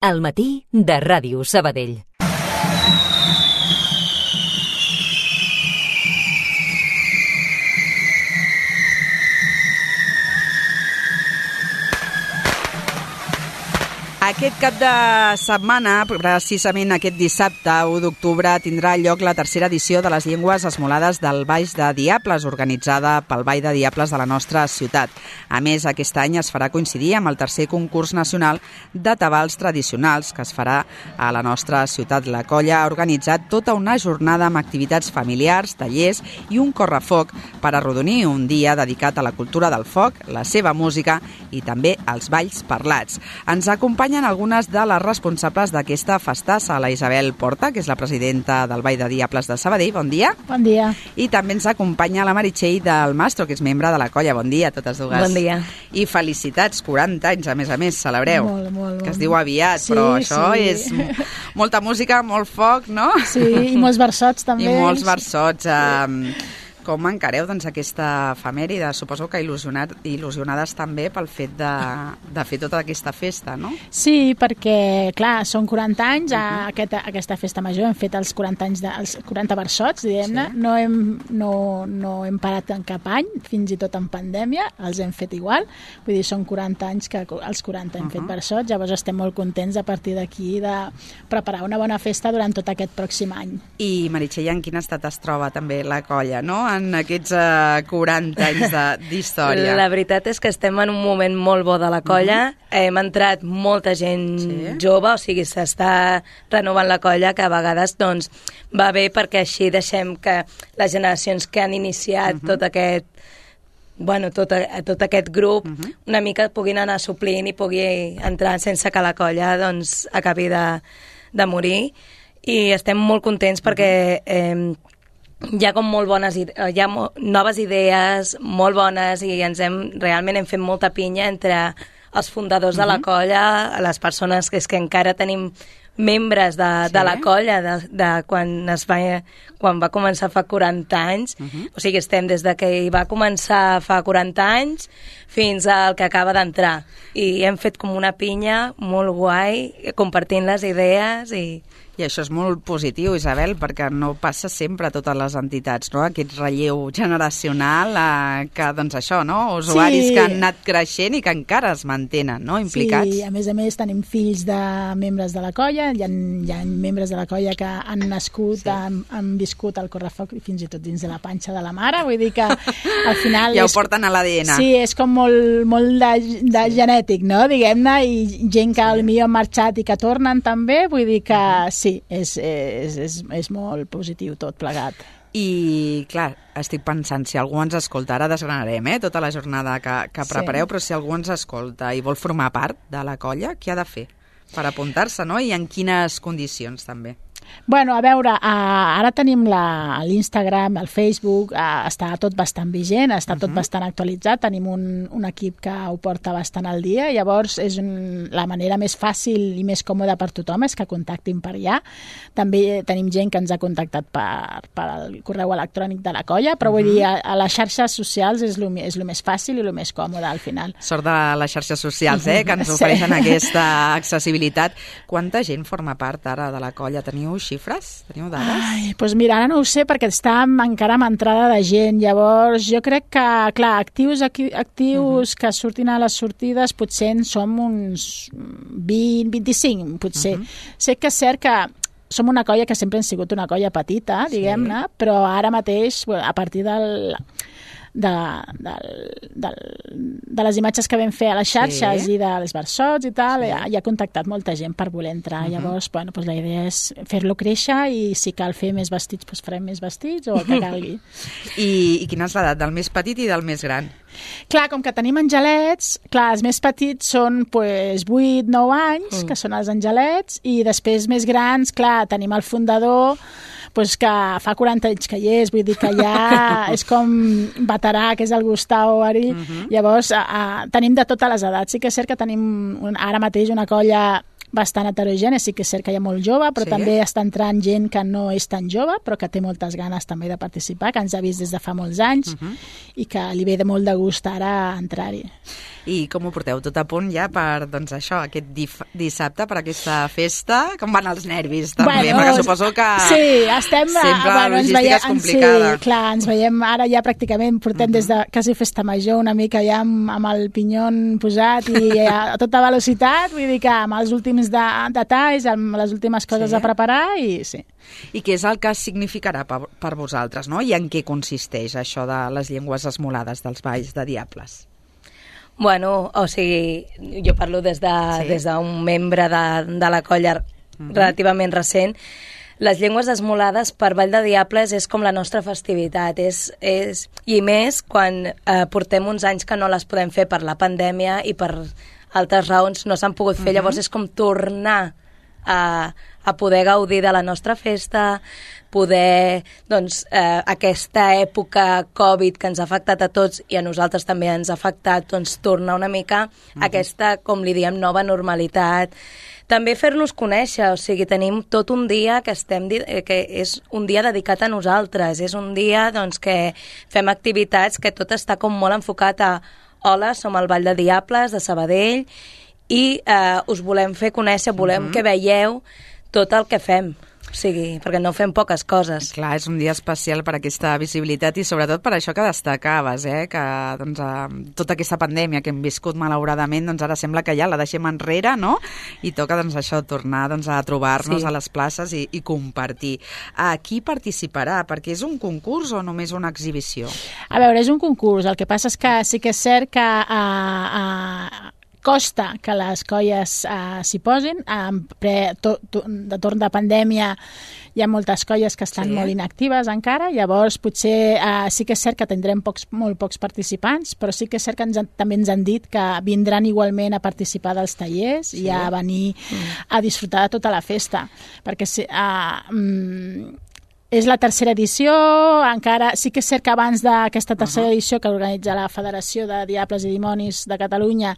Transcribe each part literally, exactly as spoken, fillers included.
Al matí de Ràdio Sabadell. Aquest cap de setmana, precisament aquest dissabte, u d'octubre, tindrà lloc la tercera edició de les Llengües Esmolades del Baix de Diables, organitzada pel Ball de Diables de la nostra ciutat. A més, aquest any es farà coincidir amb el tercer concurs nacional de tabals tradicionals que es farà a la nostra ciutat. La colla ha organitzat tota una jornada amb activitats familiars, tallers i un correfoc per arrodonir un dia dedicat a la cultura del foc, la seva música i també als balls parlats. Ens acompanyen algunes de les responsables d'aquesta festassa, la Isabel Porta, que és la presidenta del Ball de Diables de Sabadell. Bon dia. Bon dia. I també ens acompanya la Meritxell del Mastro, que és membre de la colla. Bon dia a totes dues. Bon dia. I felicitats, quaranta anys, a més a més, celebreu. Molt, molt. Que es diu aviat, sí, però això sí. és molta música, molt foc, no? Sí, i molts versots també. I molts versots. Eh, com encareu doncs, aquesta efemèride? Suposo que il·lusionat, il·lusionades també pel fet de, de fer tota aquesta festa, no? Sí, perquè, clar, són quaranta anys, uh-huh. aquesta, aquesta festa major hem fet els quaranta anys, de, els quaranta versots, diguem-ne, sí. no, hem, no, no hem parat en cap any, fins i tot en pandèmia, els hem fet igual, vull dir, són quaranta anys que els quaranta hem uh-huh. fet versots, llavors estem molt contents a partir d'aquí de preparar una bona festa durant tot aquest pròxim any. I, Meritxell, en quin estat es troba també la colla, no?, en aquests uh, quaranta anys d'història. La veritat és que estem en un moment molt bo de la colla. Mm-hmm. Hem entrat molta gent sí. jove, o sigui, s'està renovant la colla, que a vegades doncs, va bé perquè així deixem que les generacions que han iniciat mm-hmm. tot aquest bueno, tot, a, tot aquest grup uh-huh. una mica puguin anar suplint i pugui entrar sense que la colla doncs, acabi de, de morir. I estem molt contents perquè eh, hi ha com molt bones hi ha mo noves idees molt bones i ens hem, realment hem fet molta pinya entre els fundadors uh-huh. de la colla, les persones que, és que encara tenim membres de, sí. de la colla de, de quan, es va, quan va començar fa quaranta anys, uh-huh. o sigui, estem des de que hi va començar fa quaranta anys fins al que acaba d'entrar. I hem fet com una pinya molt guai, compartint les idees i... I això és molt positiu, Isabel, perquè no passa sempre a totes les entitats, no? Aquest relleu generacional eh, que, doncs això, no? Usuaris sí. que han anat creixent i que encara es mantenen, no?, implicats. Sí, a més a més tenim fills de membres de la colla, hi ha, hi ha membres de la colla que han nascut, sí. han, han viscut al correfoc i fins i tot dins de la panxa de la mare, vull dir que al final... ja és, ho porten a l'A D N. Sí, és com molt, molt de, de sí. genètic, no?, diguem-ne, i gent que sí. potser han marxat i que tornen també, vull dir que sí, Sí, és, és, és, és molt positiu tot plegat. I, clar, estic pensant, si algú ens escolta, ara desgranarem eh, tota la jornada que, que prepareu, sí. però si algú ens escolta i vol formar part de la colla, què ha de fer per apuntar-se, no? I en quines condicions, també? Bueno, a veure, uh, ara tenim l'Instagram, el Facebook, uh, està tot bastant vigent, està tot uh-huh. bastant actualitzat, tenim un, un equip que ho porta bastant al dia, llavors és un, la manera més fàcil i més còmoda per tothom és que contactin per allà. També tenim gent que ens ha contactat per, per el correu electrònic de la colla, però uh-huh. vull dir, a, a les xarxes socials és el és més fàcil i el més còmode al final. Sort de les xarxes socials, eh, que ens ofereixen sí. aquesta accessibilitat. Quanta gent forma part ara de la colla? Teniu xifres? Teniu dades? Ai, doncs mira, ara no ho sé perquè està encara amb entrada de gent. Llavors, jo crec que, clar, actius, actius uh-huh. que surtin a les sortides potser en som uns vint, vint-i-cinc, potser. Uh-huh. Sé que és cert que som una colla que sempre hem sigut una colla petita, diguem-ne, sí. però ara mateix, a partir del... De, de, de, de les imatges que vam fer a les xarxes sí. i dels versots i tal, sí. ja, ja ha contactat molta gent per voler entrar. Uh-huh. Llavors, bueno, doncs la idea és fer-lo créixer i si cal fer més vestits, doncs farem més vestits o el que calgui. I, I quina és l'edat del més petit i del més gran? Clar, com que tenim angelets, clar, els més petits són pues, vuit nou anys, mm. que són els angelets, i després més grans, clar, tenim el fundador, pues que fa quaranta anys que hi és, vull dir que ja és com veterà, que és el Gustavo Ari. Uh-huh. Llavors, a, a, tenim de totes les edats. Sí que és cert que tenim un, ara mateix una colla bastant heterogeni, sí que és cert que hi ha molt jove, però sí. també està entrant gent que no és tan jove, però que té moltes ganes també de participar, que ens ha vist des de fa molts anys uh-huh. i que li ve de molt de gust ara entrar-hi. I com ho porteu? Tot a punt ja per, doncs això, aquest dif- dissabte, per aquesta festa? Com van els nervis, també? Bueno, perquè suposo que sí, estem, sempre bueno, la logística veiem, és complicada. Sí, clar, ens veiem ara ja pràcticament, portem uh-huh. des de quasi festa major una mica ja amb, amb el pinyon posat i a tota velocitat, vull dir que amb els últims de, detalls, amb les últimes coses sí. a preparar i sí. I què és el que significarà per, per vosaltres, no? I en què consisteix això de les llengües esmolades dels balls de Diables? Bueno, o sigui, jo parlo des de, sí. des d'un membre de, de la colla uh-huh. relativament recent. Les llengües esmolades per Ball de Diables és com la nostra festivitat, és, és, i més quan eh, portem uns anys que no les podem fer per la pandèmia i per altres raons no s'han pogut fer, uh-huh. llavors és com tornar a, a poder gaudir de la nostra festa, poder, doncs, eh, aquesta època Covid que ens ha afectat a tots i a nosaltres també ens ha afectat, doncs, tornar una mica uh-huh. aquesta, com li diem, nova normalitat. També fer-nos conèixer, o sigui, tenim tot un dia que estem que és un dia dedicat a nosaltres, és un dia, doncs, que fem activitats que tot està com molt enfocat a hola, som el Ball de Diables de Sabadell i eh, us volem fer conèixer, volem uh-huh. que veieu tot el que fem. O sigui, perquè no fem poques coses. Clar, és un dia especial per aquesta visibilitat i sobretot per això que destacaves, eh? que doncs, eh, tota aquesta pandèmia que hem viscut malauradament, doncs ara sembla que ja la deixem enrere, no? I toca doncs, això tornar doncs, a trobar-nos sí. a les places i, i compartir. A qui participarà? Perquè és un concurs o només una exhibició? A veure, és un concurs. El que passa és que sí que és cert que a, a, costa que les colles uh, s'hi posin. Um, pre, to, to, de torn de pandèmia hi ha moltes colles que estan sí. molt inactives encara, llavors potser uh, sí que és cert que tindrem pocs, molt pocs participants, però sí que és cert que ens, també ens han dit que vindran igualment a participar dels tallers sí. i a venir mm. a disfrutar de tota la festa, perquè si, uh, um, és la tercera edició, encara sí que és cert que abans d'aquesta tercera uh-huh. edició que organitza la Federació de Diables i Dimonis de Catalunya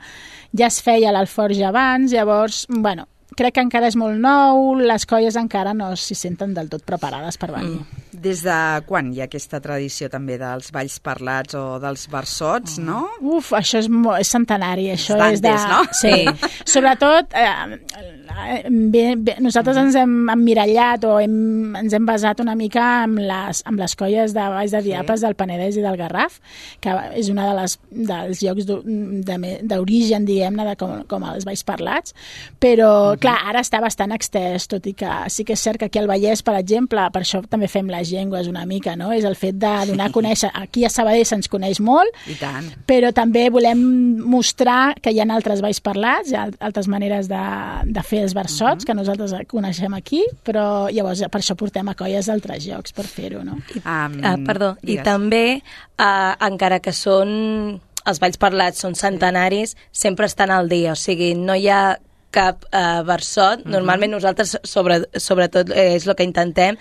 ja es feia l'Alforja abans, llavors, bueno, crec que encara és molt nou, les colles encara no s'hi senten del tot preparades per venir. Mm. Des de quan hi ha aquesta tradició també dels balls parlats o dels versots, mm. no? Uf, això és, molt, és centenari, això és és de... no? Sí, sobretot eh, bé, bé, nosaltres mm. ens hem emmirallat o hem, ens hem basat una mica amb les, amb les colles de balls de Diables sí. del Penedès i del Garraf, que és una de les, dels llocs d'origen, diguem-ne, de com, com els balls parlats, però mm. clar, ara està bastant extès, tot i que sí que és cert que aquí al Vallès, per exemple, per això també fem les llengües una mica, no? És el fet de donar a conèixer. Aquí a Sabadell se'ns coneix molt, I tant. Però també volem mostrar que hi ha altres balls parlats, hi ha altres maneres de, de fer els versots, uh-huh. que nosaltres coneixem aquí, però llavors per això portem a colles d'altres llocs per fer-ho, no? Um, uh, perdó, digues. I també, uh, encara que són els balls parlats són centenaris, sempre estan al dia, o sigui, no hi ha cap uh, versot. Uh-huh. Normalment nosaltres, sobre, sobretot, eh, és el que intentem,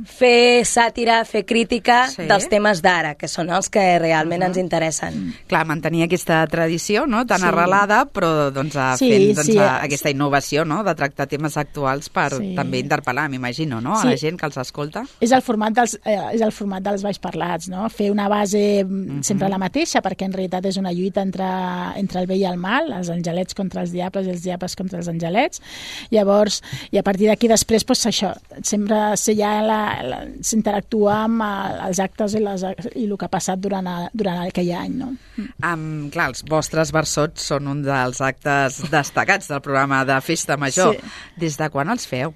fer sàtira, fer crítica sí. dels temes d'ara, que són els que realment uh-huh. ens interessen. Clar, mantenir aquesta tradició, no?, tan sí. arrelada, però doncs, sí, fent doncs, sí. a, aquesta innovació, no?, de tractar temes actuals per sí. també interpel·lar, m'imagino, no?, a sí. la gent que els escolta. És el format dels, eh, és el format dels balls parlats, no?, fer una base uh-huh. sempre la mateixa, perquè en realitat és una lluita entre, entre el bé i el mal, els angelets contra els diables i els diables contra els angelets. Llavors, i a partir d'aquí després, doncs això, sempre se hi ha la s'interactua amb els actes i, les, i el que ha passat durant, a, durant aquell any, no? Um, clar, els vostres versots són un dels actes destacats del programa de Festa Major. Sí. Des de quan els feu?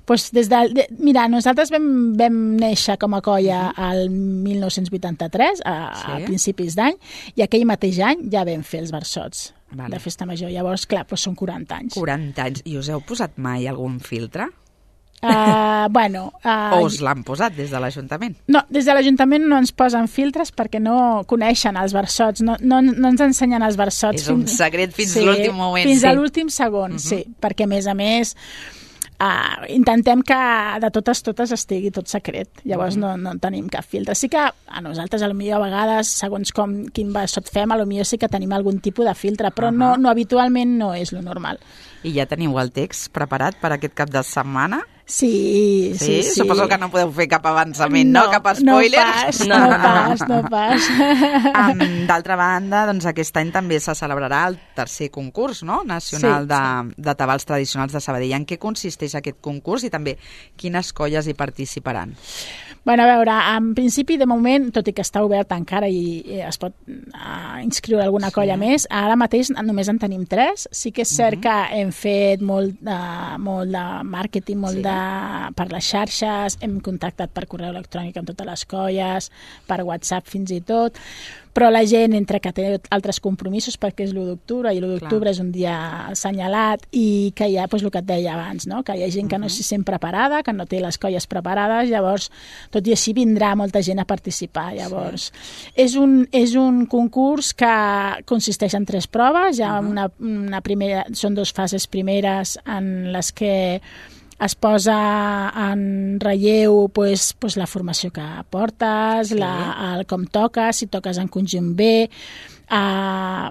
Pues des de, de, mira, nosaltres vam, vam néixer com a colla al mil nou-cents vuitanta-tres, a, sí. a principis d'any, i aquell mateix any ja vam fer els versots vale. de Festa Major. Llavors, clar, doncs són quaranta anys. quaranta anys. I us heu posat mai algun filtre? Uh, bueno, uh, o us l'han posat des de l'Ajuntament? No, des de l'Ajuntament no ens posen filtres perquè no coneixen els versots, no, no, no ens ensenyen els versots. És un secret fins sí, l'últim moment. Fins sí. a l'últim segon, uh-huh. sí, perquè a més a més Uh, intentem que de totes totes estigui tot secret, llavors no, no tenim cap filtre. Sí que a nosaltres a lo millor a vegades, segons com quin sot fem, a lo millor sí que tenim algun tipus de filtre, però uh-huh. no, no habitualment no és lo normal. I ja teniu el text preparat per aquest cap de setmana? Sí, sí, sí. Suposo que no podeu fer cap avançament, no? no? Cap spoiler? No pas, no, no pas, no pas. Um, D'altra banda, doncs aquest any també se celebrarà el tercer concurs, no?, nacional sí, de, sí. de tabals tradicionals de Sabadell. En què consisteix aquest concurs i també quines colles hi participaran? Bueno, a veure, en principi, de moment, tot i que està obert encara i, i es pot uh, inscriure alguna sí. colla més, ara mateix només en tenim tres. Sí que és cert uh-huh. que hem fet molt de, molt de màrqueting, molt sí. de per les xarxes, hem contactat per correu electrònic amb totes les colles, per WhatsApp fins i tot, però la gent, entre que té altres compromisos, perquè és l'u d'octubre, i l'u d'octubre és un dia assenyalat, i que hi ha, doncs, el que et deia abans, no? Que hi ha gent que no s'hi sent preparada, que no té les colles preparades, llavors, tot i així, vindrà molta gent a participar. Llavors, sí. és, un, és un concurs que consisteix en tres proves, hi ha uh-huh. una, una primera, són dues fases primeres en les que es posa en relleu pues, pues, la formació que portes, sí. la, el com toques, si toques en conjunt B, eh,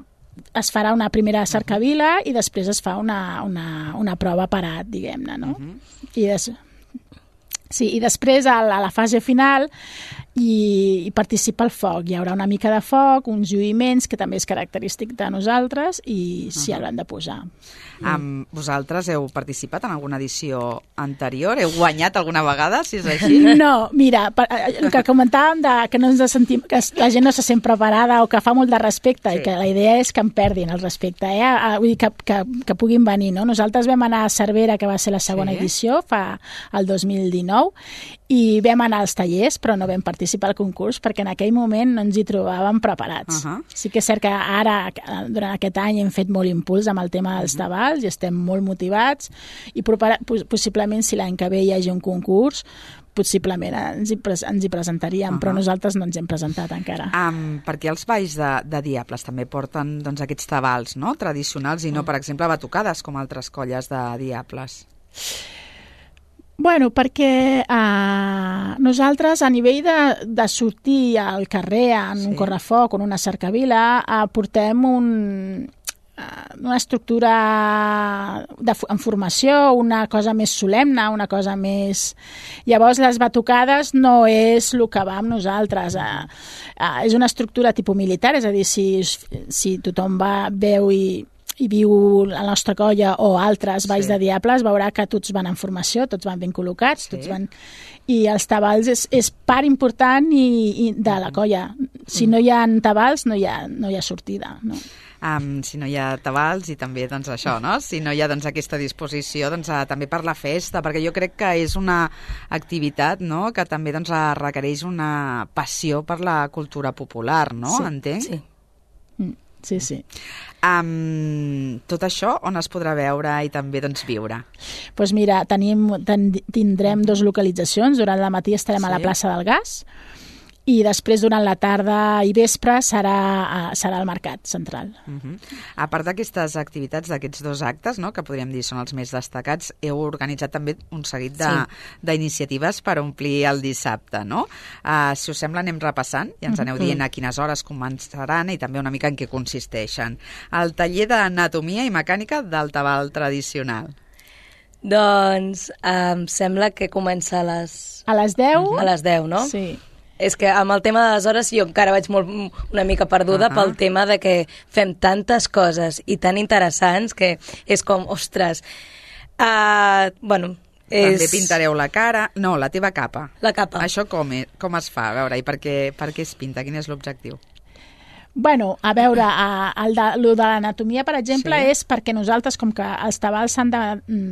es farà una primera cercavila i després es fa una, una, una prova parat, diguem-ne, no? Uh-huh. I, des... sí, i després a la, a la fase final i, i participa el foc. Hi haurà una mica de foc, uns lluïments, que també és característic de nosaltres, i s'hi uh-huh. hauran de posar. Um, vosaltres heu participat en alguna edició anterior? Heu guanyat alguna vegada, si és així? No, mira, per, el que comentàvem de que, no ens sentim, que la gent no se sent preparada o que fa molt de respecte, sí. i que la idea és que en perdin el respecte, eh? Vull dir, que, que, que puguin venir, no? Nosaltres vam anar a Cervera, que va ser la segona sí. edició, fa el dos mil dinou, i vam anar als tallers, però no vam participar al concurs perquè en aquell moment no ens hi trobàvem preparats. Uh-huh. Sí que és cert que ara, durant aquest any, hem fet molt impuls amb el tema dels tabals i estem molt motivats i possiblement si l'any que ve hi hagi un concurs, possiblement ens hi, ens hi presentaríem, uh-huh. però nosaltres no ens hem presentat encara. Um, perquè els balls de, de Diables també porten doncs, aquests tabals, no?, tradicionals i no, per exemple, batucades com altres colles de Diables. Bueno, perquè eh, nosaltres a nivell de, de sortir al carrer en sí. un correfoc o en una cercavila eh, portem un, eh, una estructura de, en formació, una cosa més solemne, una cosa més... Llavors les batucades no és el que va amb nosaltres. Eh, eh, és una estructura tipus militar, és a dir, si, si tothom va, veu i... i viu la nostra colla o altres balls sí. de Diables, veurà que tots van en formació, tots van ben col·locats, sí. tots van... i els tabals és, és part important i, i de la colla. Si no hi ha tabals, no hi ha, no hi ha sortida, no? Um, si no hi ha tabals i també doncs, això, no? Si no hi ha doncs, aquesta disposició doncs, a, també per la festa, perquè jo crec que és una activitat, no?, que també doncs, requereix una passió per la cultura popular, no? Sí, entenc? Sí. Mm. Sí, sí. Um, tot això on es podrà veure i també doncs, viure? Doncs pues mira, tenim, ten, tindrem dues localitzacions. Durant la matí estarem sí. a la plaça del Gas i després durant la tarda i vespre serà, serà al Mercat Central. Uh-huh. A part d'aquestes activitats, d'aquests dos actes, no, que podríem dir són els més destacats, heu organitzat també un seguit d'iniciatives sí. per omplir el dissabte, no? Uh, si us sembla, anem repassant i ens aneu dient a quines hores començaran i també una mica en què consisteixen. El taller d'anatomia i mecànica del tabal tradicional. Doncs em sembla que comença a les... A les deu? A les deu, no? Sí. És que amb el tema de les hores jo encara vaig molt, una mica perduda uh-huh. pel tema de que fem tantes coses i tan interessants que és com, ostres, uh, bueno... És... També pintareu la cara... No, la teva capa. La capa. Això com, és, com es fa? A veure, i per què, per què es pinta? Quin és l'objectiu? Bueno, a veure, el de, el de l'anatomia, per exemple, sí. és perquè nosaltres, com que els tabals s'han de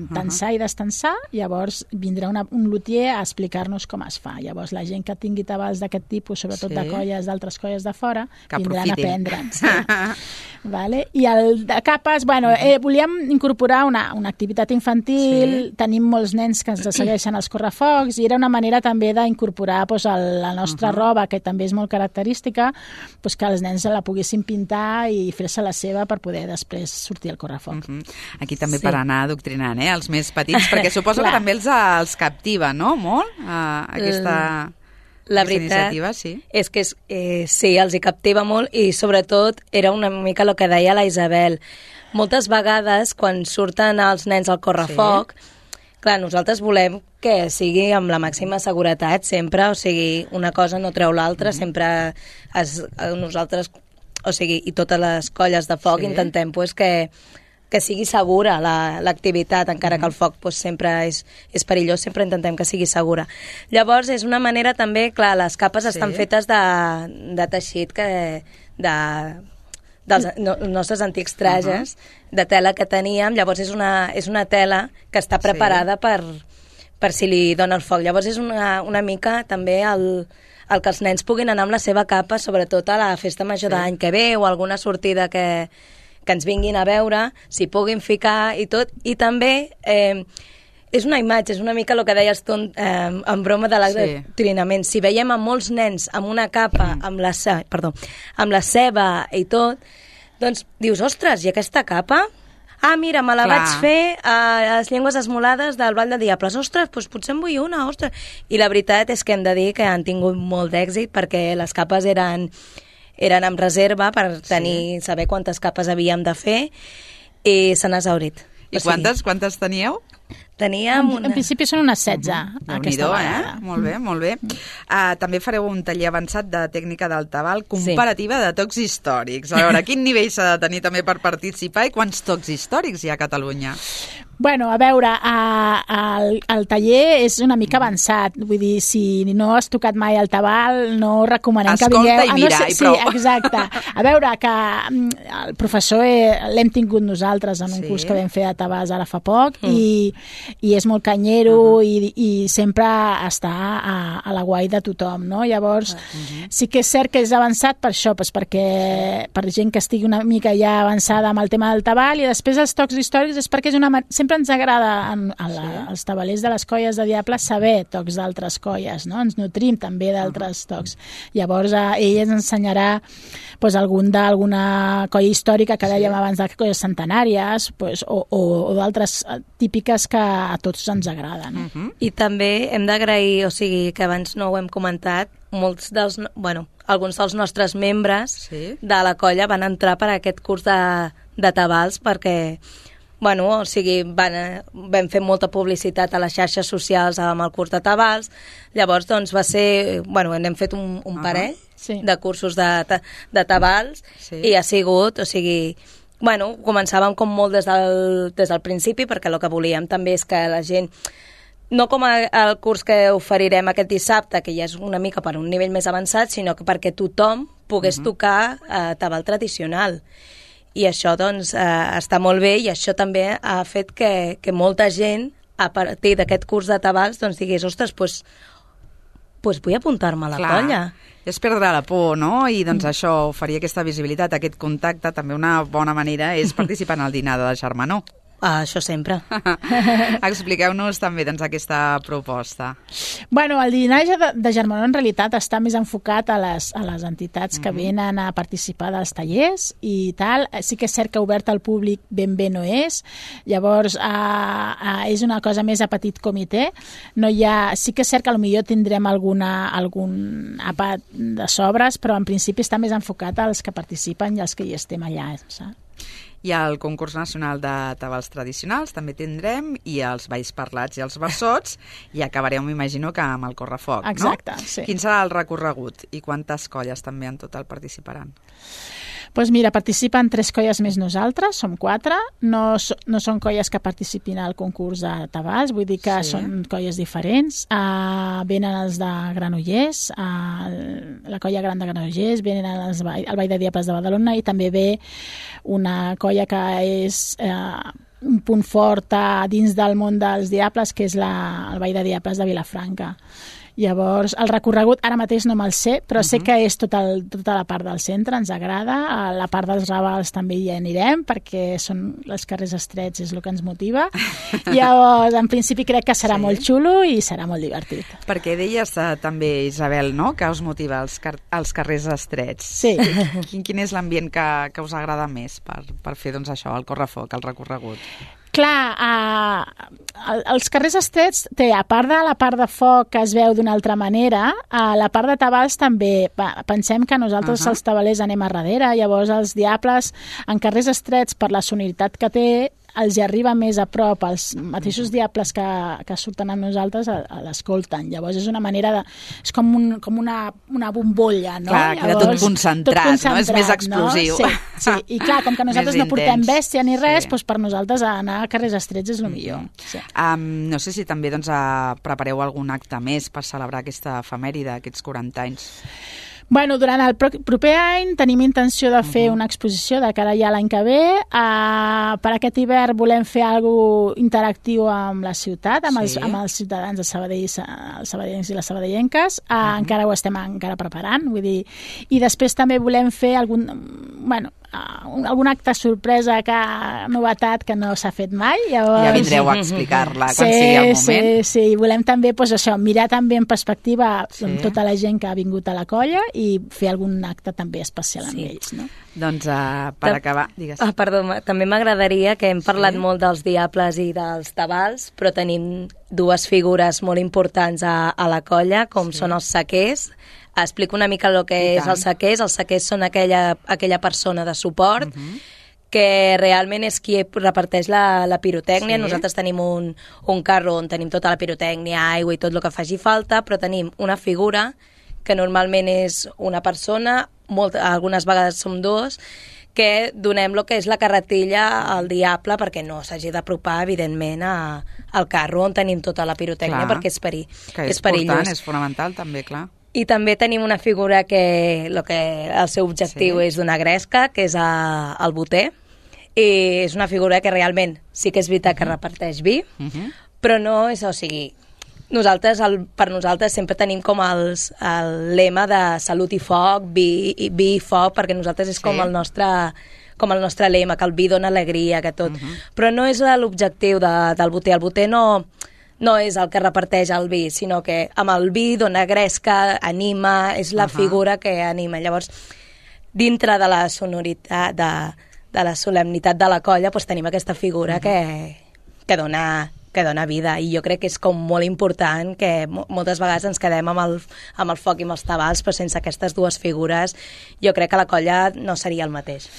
tensar uh-huh. i destensar, llavors vindrà una, un lutier a explicar-nos com es fa. Llavors la gent que tingui tabals d'aquest tipus, sobretot sí. de colles, d'altres colles de fora, que vindran aprofitin. A aprendre'n. Sí. Vale? I el de capes, bueno, eh, volíem incorporar una, una activitat infantil, sí. tenim molts nens que ens segueixen als correfocs, i era una manera també d'incorporar pues, el, la nostra uh-huh. roba, que també és molt característica, pues, que els nens se la poguessin pintar i fer-se la seva per poder després sortir al correfoc. Uh -huh. Aquí també Sí. per anar adoctrinant, eh, els més petits, perquè suposo que també els, els captiva, no?, molt, uh, aquesta... La Aquesta veritat iniciativa, sí. és que és, eh, sí, els hi captiva molt i sobretot era una mica el que deia la Isabel. Moltes vegades quan surten els nens al correfoc, sí. clar, nosaltres volem que sigui amb la màxima seguretat sempre, o sigui, una cosa no treu l'altra, mm-hmm. sempre es, nosaltres, o sigui, i totes les colles de foc sí. intentem pues, que que sigui segura l'activitat, la, encara mm. que el foc pues, sempre és, és perillós, sempre intentem que sigui segura. Llavors, és una manera també, clar, les capes sí. estan fetes de, de teixit que, de, dels no, nostres antics trajes, uh -huh. de tela que teníem, llavors és una, és una tela que està preparada sí. per, per si li dona el foc. Llavors és una, una mica també el, el que els nens puguin anar amb la seva capa, sobretot a la festa major sí. d'any que ve o alguna sortida que que ens vinguin a veure, s'hi puguin ficar i tot, i també eh, és una imatge, és una mica el que deies tu eh, en broma de l'adoctrinament. Sí. Si veiem a molts nens amb una capa, mm. amb, la, perdó, amb la ceba i tot, doncs dius, ostres, i aquesta capa? Ah, mira, me la Clar. vaig fer a les llengües esmolades del Ball de Diables. Ostres, doncs potser en vull una, ostres. I la veritat és que hem de dir que han tingut molt d'èxit perquè les capes eren... eren amb reserva per tenir, sí. saber quantes capes havíem de fer i se n'ha exhaurit. I o quantes, sigui, quantes teníeu? Teníem una... En principi són unes setze. Uh-huh. Aquesta vegada. Eh? Molt bé, molt bé. Uh, també fareu un taller avançat de tècnica del tabal comparativa sí. de tocs històrics. A veure, quin nivell s'ha de tenir també per participar i quants tocs històrics hi ha a Catalunya? Bueno, a veure, a, a, el, el taller és una mica avançat. Vull dir, si no has tocat mai el tabal, no recomanem Escolta que vingueu... Escolta i mira, ah, no sé, i prou. Sí, exacte. A veure, que el professor eh, l'hem tingut nosaltres en un sí. curs que vam fer de tabals ara fa poc mm. i, i és molt canyero uh -huh. i, i sempre està a, a la guai de tothom, no? Llavors, uh -huh. sí que és cert que és avançat per això, pues perquè per gent que estigui una mica ja avançada amb el tema del tabal, i després els tocs històrics és perquè és una... sempre ens agrada en, a la, sí. als tabalers de les colles de Diables saber tocs d'altres colles, no? Ens nutrim també d'altres uh -huh. tocs. Llavors, eh, ell ens ensenyarà pues, algun d'alguna colla històrica que dèiem sí. abans de colles centenàries pues, o, o, o d'altres típiques que a tots ens agraden. No? Uh-huh. I també hem d'agrair, o sigui, que abans no ho hem comentat, molts dels, bueno, alguns dels nostres membres sí. de la colla van entrar per aquest curs de, de tabals perquè, bueno, o sigui, van, vam fer molta publicitat a les xarxes socials amb el curs de tabals, llavors doncs va ser, bueno, hem fet un, un parell uh-huh. sí. de cursos de, de tabals sí. i ha sigut, o sigui... Bueno, començàvem com molt des del, des del principi, perquè el que volíem també és que la gent, no com a, el curs que oferirem aquest dissabte, que ja és una mica per un nivell més avançat, sinó que perquè tothom pogués uh-huh. tocar eh, tabal tradicional. I això, doncs, eh, està molt bé, i això també ha fet que, que molta gent, a partir d'aquest curs de tabals, doncs digués, ostres, doncs, pues vull apuntar-me a la Clar. colla. És perdre la por, no? I doncs mm. això, oferir aquesta visibilitat, aquest contacte, també una bona manera és participar en el dinar de germanor. Ah, això sempre. Expliqueu-nos també doncs, aquesta proposta. Bueno, el dinar de, de germanor en realitat està més enfocat a les, a les entitats que mm-hmm. venen a participar dels tallers i tal. Sí que és cert que obert al públic ben bé no és. Llavors, a, a, és una cosa més a petit comitè. No hi ha, sí que és cert que potser tindrem alguna, algun àpat de sobres, però en principi està més enfocat als que participen i als que hi estem allà, saps? I el concurs nacional de tabals tradicionals també tindrem, i els balls parlats i els versots, i acabareu, m'imagino, que amb el correfoc, Exacte, no? sí. Quin serà el recorregut i quantes colles també en total participaran? Doncs pues mira, participen tres colles més nosaltres, som quatre, no, no són colles que participin al concurs de tabals, vull dir que sí. són colles diferents, uh, venen els de Granollers, uh, la colla gran de Granollers, venen els, el Ball de Diables de Badalona, i també ve una colla que és uh, un punt fort uh, dins del món dels diables, que és la, el Ball de Diables de Vilafranca. Llavors, el recorregut ara mateix no me'l sé, però uh-huh. sé que és tot el, tota la part del centre, ens agrada. A la part dels Ravals també hi anirem, perquè són els carrers estrets, és el que ens motiva. Llavors, en principi crec que serà sí. molt xulo i serà molt divertit. Perquè deies uh, també, Isabel, no?, que us motiva els, car els carrers estrets. Sí. Quin, quin és l'ambient que, que us agrada més per, per fer doncs, això, el correfoc, el recorregut? Clar, uh, els carrers estrets té, a part de la part de foc que es veu d'una altra manera, a la part de tabals també, pensem que nosaltres uh -huh. els tabalers anem a darrere, llavors els diables en carrers estrets per la sonoritat que té els hi arriba més a prop, els mateixos diables que, que surten amb nosaltres l'escolten. Llavors és una manera de... és com, un, com una, una bombolla, no? Clar, queda tot concentrat, tot concentrat, no? És més explosiu. No? Sí, sí, i clar, com que nosaltres no portem bèstia ni res, sí. doncs per nosaltres anar a carrers estrets és el millor. Sí. Um, no sé si també doncs, uh, prepareu algun acte més per celebrar aquesta efemèride, aquests quaranta anys. Bueno, durant el proper any tenim intenció de fer uh-huh. una exposició de cara ja l'any que ve. Uh, per aquest hivern volem fer alguna interactiu amb la ciutat, amb, sí. els, amb els ciutadans de Sabadell, els sabadellencs i les sabadellenques. Uh, uh-huh. Encara ho estem encara preparant, vull dir. I després també volem fer algun... Bueno, Uh, algun acte sorpresa, que novetat que no s'ha fet mai. Llavors... Ja vindreu a explicar-la quan sí, sigui el moment. Sí, sí, volem també pues, això, mirar també en perspectiva sí. amb tota la gent que ha vingut a la colla i fer algun acte també especial amb sí. ells. No? Doncs uh, per acabar, digues. Ah, perdó, també m'agradaria, que hem parlat sí. molt dels diables i dels tabals, però tenim dues figures molt importants a, a la colla, com sí. són els saquers. Explico una mica el que és els saquers. Els saquers són aquella, aquella persona de suport uh-huh. que realment és qui reparteix la, la pirotècnia. Sí. Nosaltres tenim un, un carro on tenim tota la pirotècnia, aigua i tot el que faci falta, però tenim una figura que normalment és una persona, molt, algunes vegades som dos, que donem el que és la carretilla al diable perquè no s'hagi d'apropar, evidentment, a, al carro on tenim tota la pirotècnia, clar, perquè és, peri, que és, és perillós. Important, és fonamental també, clar. I també tenim una figura que, lo que el seu objectiu sí. és donar gresca, que és a, el boter, i és una figura que realment sí que és veritat que reparteix vi, uh-huh. però no és, o sigui, nosaltres, el, per nosaltres sempre tenim com els, el lema de salut i foc, vi, vi i foc, perquè nosaltres és sí. com el nostre... com el nostre lema, que el vi dona alegria, que tot. Uh-huh. Però no és l'objectiu de, del boter. El boter no... no és el que reparteix el vi, sinó que amb el vi dona gresca, anima, és la uh-huh. figura que anima. Llavors, dintre de la sonoritat, de, de la solemnitat de la colla, doncs tenim aquesta figura uh-huh. que, que, dona, que dona vida. I jo crec que és com molt important que moltes vegades ens quedem amb el, amb el foc i amb els tabals, però sense aquestes dues figures jo crec que la colla no seria el mateix.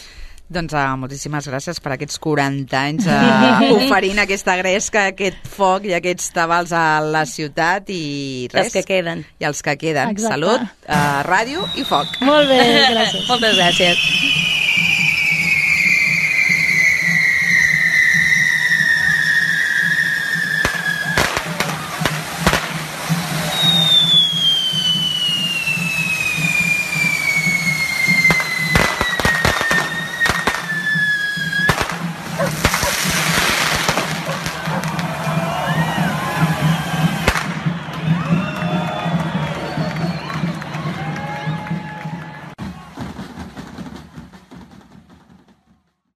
Doncs uh, moltíssimes gràcies per aquests quaranta anys uh, oferint aquesta gresca, aquest foc i aquests tabals a la ciutat i res. Els que queden. I els que queden. Exacte. Salut, uh, ràdio i foc. Molt bé, gràcies. Moltes gràcies.